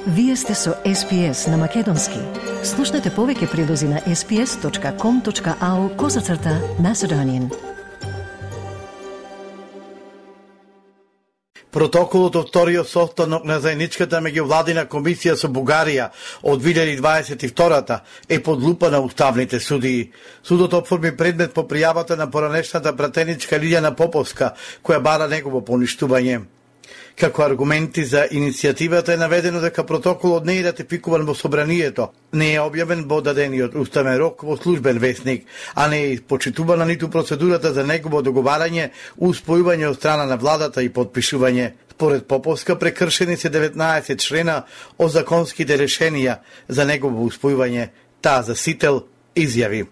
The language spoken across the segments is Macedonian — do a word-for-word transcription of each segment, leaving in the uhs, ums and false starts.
Вие сте со Ес Пи Ес на Македонски. Слушнете повеќе прилози на ес пи ес точка ком точка ау козацрта Macedonian. Протоколот од вториот состанок на заедничката меѓувладина комисија со Бугарија од две илјади дваесет и втора е под лупа на уставните судии. Судот оформи предмет по пријавата на поранешната пратеничка Лилјана Поповска, која бара негово поништување. Како аргументи за иницијативата е наведено дека протоколот не е ратификуван во собранието, не е објавен во дадениот уставен рок во службен весник, а не е почитувана ниту процедурата за негово договарање, успојување од страна на владата и подпишување. Според Поповска прекршени се деветнаесет члена од законските решенија за негово успојување. Таа за Сител изјави: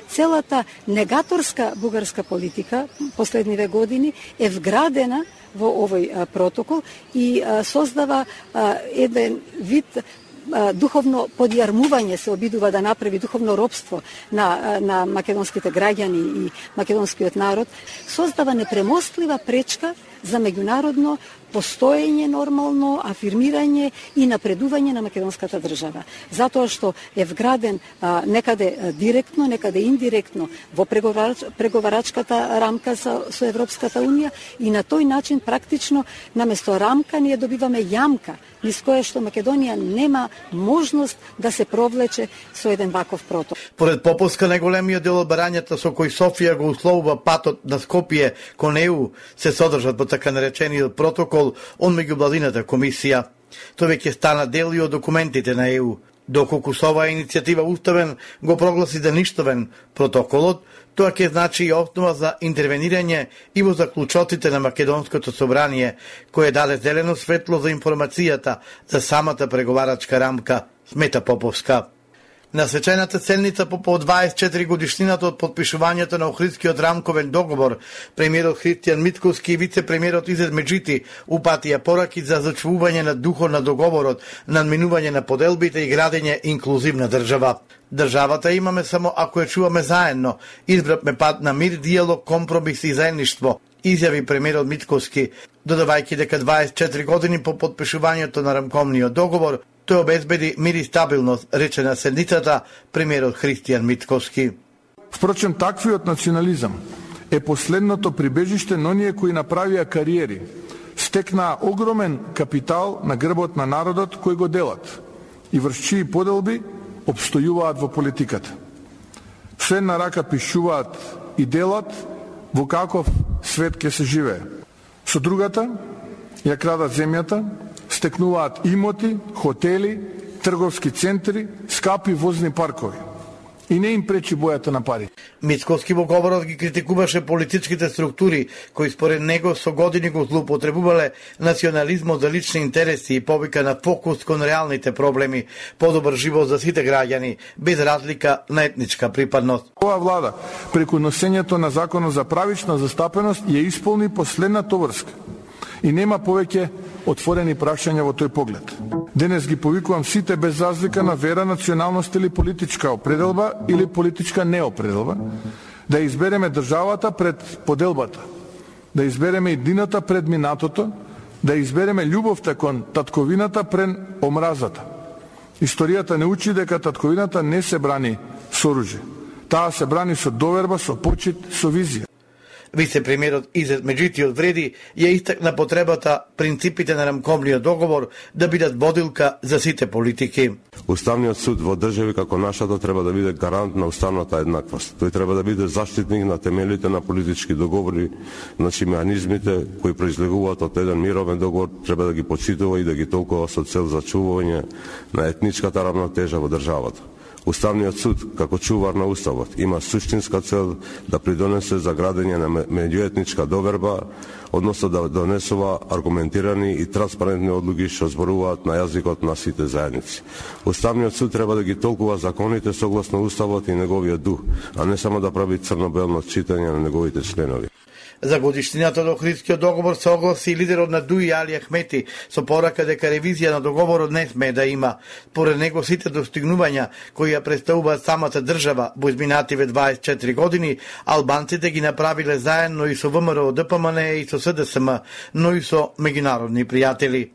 Целата негаторска бугарска политика последниве години е вградена во овој а, протокол и а, создава а, еден вид а, духовно подјармување, се обидува да направи духовно робство на, на македонските граѓани и македонскиот народ, создава непремостлива пречка за меѓународно постоење, нормално афирмирање и напредување на македонската држава. Затоа што е вграден а, некаде а, директно, некаде индиректно во преговарач, преговарачката рамка со, со Европската Унија и на тој начин практично наместо рамка ние добиваме јамка низ која што Македонија нема можност да се провлече со еден ваков протокол. Поред Поповска, најголемиот дел од барањата со кои Софија го условува патот на Скопје кон Е У се содржат во така наречениот протокол од меѓувладината комисија. Тој веќе стана дел и од документите на Е У. Доколку со оваа иницијатива уставен го прогласи за ништовен протоколот, тоа ќе значи и основа за интервенирање и во заклучоците на Македонското собрание, кое даде зелено светло за информацијата за самата преговарачка рамка, смета Поповска. На свечената седница по по дваесет и четири годишнината од подпишувањето на Охридскиот рамковен договор, премиерот Христијан Митковски и вице-премиерот Изет Меджити упатија пораки за зачувување на духот на договорот, надминување на поделбите и градење инклузивна држава. Државата имаме само ако ја чуваме заедно. Избравме пат на мир, диалог, компромис и заедништво, изјави премиерот Митковски, додавајќи дека дваесет и четири години по подпишувањето на рамковниот договор тој обезбеди мир и стабилност, рече на седницата премиерот Христијан Митковски. Впрочем, таквиот национализам е последното прибежиште на оние кои направија кариери, стекнаа огромен капитал на грбот на народот кој го делат и врз чии поделби обстојуваат во политиката. Се на рака пишуваат и делат во каков свет ќе се живее. Со другата ја крадат земјата, стекнуваат имоти, хотели, трговски центри, скапи возни паркови. И не им пречи бојата на пари. Митковски во говорот ги критикуваше политичките структури, кои според него со години го злоупотребувале национализмот за лични интереси и повика на фокус кон реалните проблеми, подобар живот за сите граѓани, без разлика на етничка припадност. Ова влада, преку носењето на законот за правична застапеност, ја исполни последната врска. И нема повеќе отворени прашања во тој поглед. Денес ги повикувам сите без разлика на вера, националност или политичка определба или политичка неопределба, да избереме државата пред поделбата, да избереме иднината пред минатото, да избереме љубовта кон татковината пред омразата. Историјата не учи дека татковината не се брани со оружје. Таа се брани со доверба, со почит, со визија. Вице-премиерот Изет Меджити одвреди ја истакна потребата принципите на рамковниот договор да бидат водилка за сите политики. Уставниот суд во држави како нашата треба да биде гарант на уставната еднаквост. Тој треба да биде заштитник на темелите на политички договори, значи механизмите кои произлегуваат од еден мировен договор треба да ги почитува и да ги толкува со цел зачувување на етничката равнотежа во државата. Уставниот суд, како чувар на уставот, има суштинска цел да придонесе за градење на меѓуетничка доверба, односно да донесува аргументирани и транспарентни одлуки што зборуваат на јазикот на сите заедници. Уставниот суд треба да ги толкува законите согласно уставот и неговиот дух, а не само да прави црно-белно читање на неговите членови. За годишнината до Охридскиот договор се огласи лидерот на Дуи Али Ахмети со порака дека ревизија на договорот не смее да има. Поред него сите достигнувања кои ја представуваат самата држава во изминативе дваесет и четири години, албанците ги направиле заедно и со ВМРО, Д П М Н и со С Д С М, но и со меѓународни пријатели.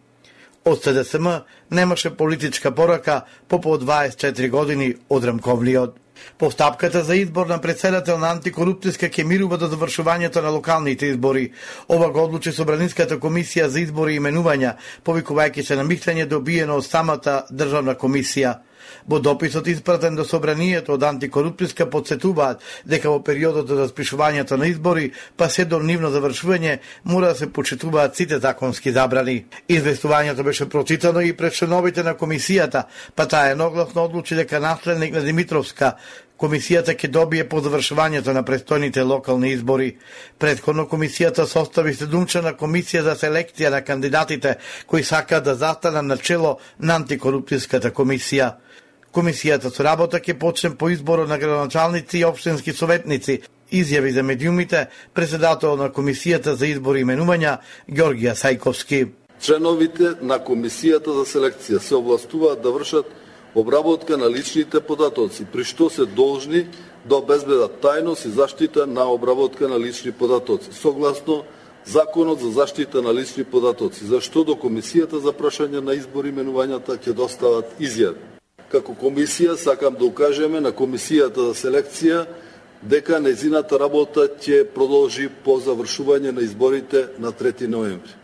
Од С Д С М немаше политичка порака по по дваесет и четири години од Рамковниот. Постапката за избор на претседател на антикорупцијска ќе мирува до завршувањето на локалните избори. Ова го одлучи Собраниската комисија за избори и именувања, повикувајќи се на мислење добиено од самата државна комисија. Во дописот испратен до Собранието од антикорупцијска подсетуваат дека во периодот од распишувањето на избори, па се до нивно завршување, мора да се почитуваат сите законски забрани. Известувањето беше прочитано и пред членовите на комисијата, па таа едногласно одлучи дека наследник на Димитровска комисијата ќе добие по завршувањето на престојните локални избори. Претходно комисијата состави седумчлена комисија за селекција на кандидатите кои сакаат да застанат на чело на антикорупцијската комисија. Комисијата со работа ќе почне по изборот на градоначалници и општински советници, изјави за медиумите председател на комисијата за избори и именувања Ѓорѓија Сајковски. Членовите на комисијата за селекција се овластуваат да вршат обработка на личните податоци, при што се должни да обезбедат тајност и заштита на обработка на лични податоци, согласно Законот за заштита на лични податоци, зашто до комисијата за прашање на избори и именувањата ќе достават изјави. Како комисија сакам да укажеме на комисијата за селекција дека нејзината работа ќе продолжи по завршување на изборите на трети ноември.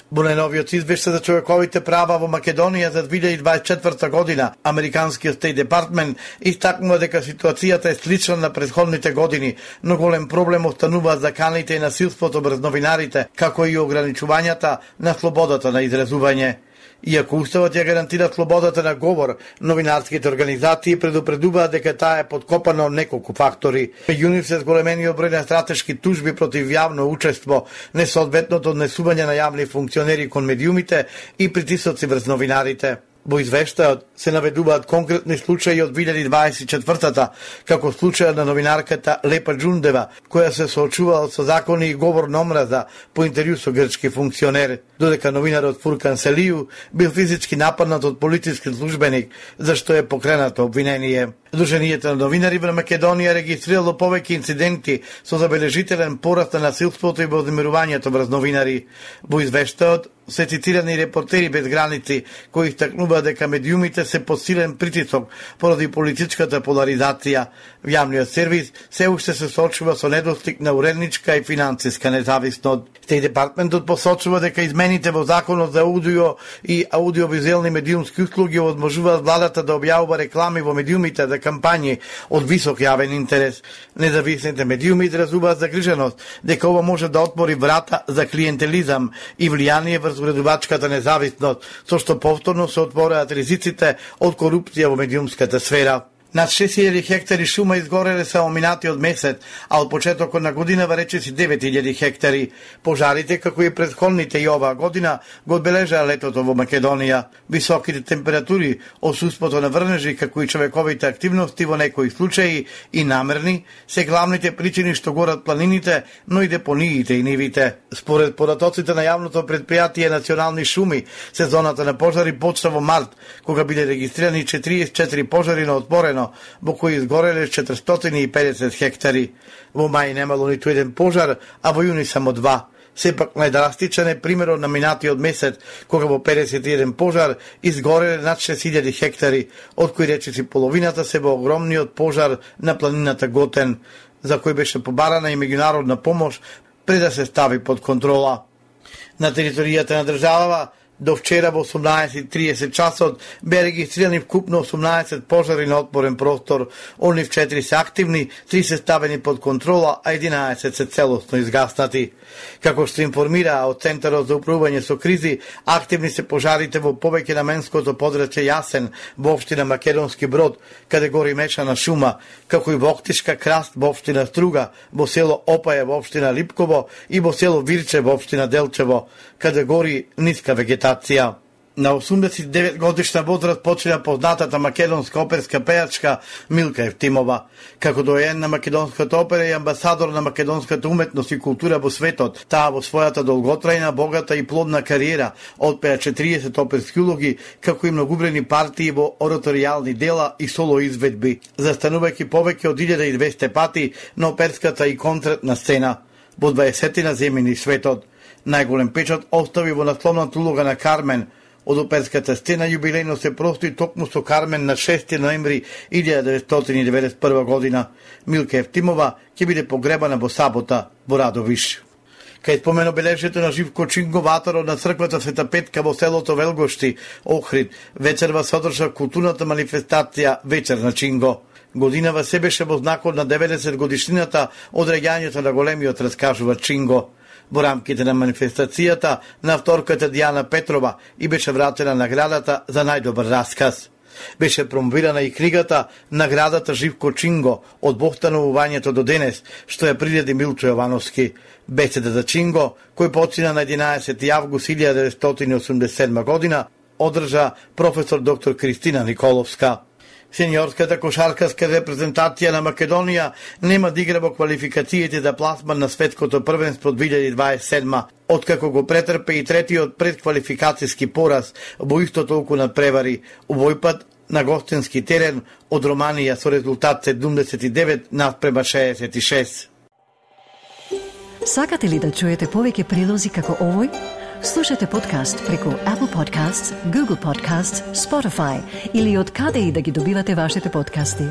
Во најновиот извештај за човековите права во Македонија за две илјади дваесет и четврта година, Американскиот Стейт Департмент истакнува дека ситуацијата е слична на претходните години, но голем проблем остануваат заканите и насилството врз новинарите, како и ограничувањата на слободата на изразување. Иако Уставот ја гарантира слободата на говор, новинарските организации предупредуваат дека таа е подкопана од неколку фактори. Меѓу нив се зголемениот број на стратешки тужби против јавно учество, несоодветното однесување на јавни функционери кон медиумите и притисоци врз новинарите. Во извештајот се наведуваат конкретни случаи од две илјади дваесет и четвртата, како случајот на новинарката Лепа Џундева, која се соочувала со закони и говор на омраза по интервју со грчки функционер, додека новинарот Фуркан Селију бил физички нападнат од полициски службеник, зашто е покренато обвинение. Сдруженијето на новинари во Македонија регистрирало повеќе инциденти со забележителен пораст на насилството и вознемирувањето врз новинари. Во извештајот се цитирани репортери без граници, кои истакнуваат дека медиумите се под силен притисок поради политичката поларизација. Јавниот сервис се уште се соочува со недостиг на уредничка и финансиска независност. Стејт Департментот посочува дека измените во Законот за аудио и аудиовизуелни медиумски услуги овозможуваат владата да објавува реклами во медиумите за кампањи од висок јавен интерес. Независните медиуми изразуваат загриженост дека ова може да отвори врата за клиентелизам и влијание врз уредувачката независност, со што повторно се отвораат ризиците од корупција во медиумската сфера. Над шест илјади хектари шума изгореле само минатиот месец, а од почетокот на годинава речиси девет илјади хектари. Пожарите, како и претходните и оваа година, го одбележаа летото во Македонија. Високите температури, отсуството на врнежи, како и човековите активности во некои случаи и намерни, се главните причини што горат планините, но и депониите и нивите. Според податоците на јавното претпријатие Национални шуми, сезоната на пожари почна во март, кога биле регистрирани четириесет и четири пожари на отпорено, во кои изгореле четиристотини и педесет хектари. Во мај немало ниту еден пожар, а во јуни само два. Сепак најдрастичен е примерот на минатиот месец, кога во педесет и еден пожар изгореле над шест илјади хектари, од кои речиси половината се во огромниот пожар на планината Готен, за кој беше побарана и меѓународна помош пред да се стави под контрола. На територијата на државава до вчера во осумнаесет и тридесет часот бе регистрирани вкупно осумнаесет пожари на отворен простор, од нив четири се активни, три се ставени под контрола, а единаесет се целосно изгаснати. Како што информира од Центарот за управување со кризи, активни се пожарите во повеќе наменското подрачје Јасен во општина Македонски Брод, каде гори мешана шума, како и во Октишка Краст во општина Струга, во село Опаје во општина Липково и во село Вирче во општина Делчево, каде гори ниска вегетација. На осумдесет и девет годишна возраст почина познатата македонска оперска пејачка Милка Евтимова. Како доен на македонската опера и амбасадор на македонската уметност и култура во светот, таа во својата долготрајна, богата и плодна кариера отпеа четириесет оперски улоги, како и многубрени партии во ораторијални дела и соло изведби, застанувајќи повеќе од илјада и двесте пати на оперската и концертна сцена во дваесетина земјини светот. Најголем печат остави во насловната улога на Кармен од оперската сцена јубилејно се простои токму со Кармен на шести ноември илјада деветстотини и деветдесет и прва година. Милка Евтимова ќе биде погребана во сабота во Радовиш. Кај спомен обележието на Живко Чинго, ваторот на црквата Света Петка во селото Велгошти, Охрид, вечерва содржа културната манифестација Вечер на Чинго. Годинава се беше во знакот на деветдесет годишнината од реѓањето на големиот, раскажува Чинго. Во рамките на манифестацијата на авторката Дијана Петрова и беше вратена наградата за најдобар расказ. Беше промовирана и книгата Наградата Живко Чинго од постановувањето до денес, што ја приреди Милчо Јовановски. Беседа за Чинго, кој почина на единаесети август илјада деветстотини и осумдесет и седма година, одржа професор доктор Кристина Николовска. Сениорската кошаркарска репрезентација на Македонија нема да игра во квалификациите за пласман на светското првенство две илјади дваесет и седма, откако го претрпе и третиот предквалификацијски пораз во исто толку надпревари, овој пат на гостински терен од Романија со резултат седумдесет и девет наспрема шеесет и шест. Сакате ли да чуете повеќе прилози како овој? Слушате подкаст преку Apple Podcasts, Google Podcasts, Spotify или од каде и да ги добивате вашите подкасти.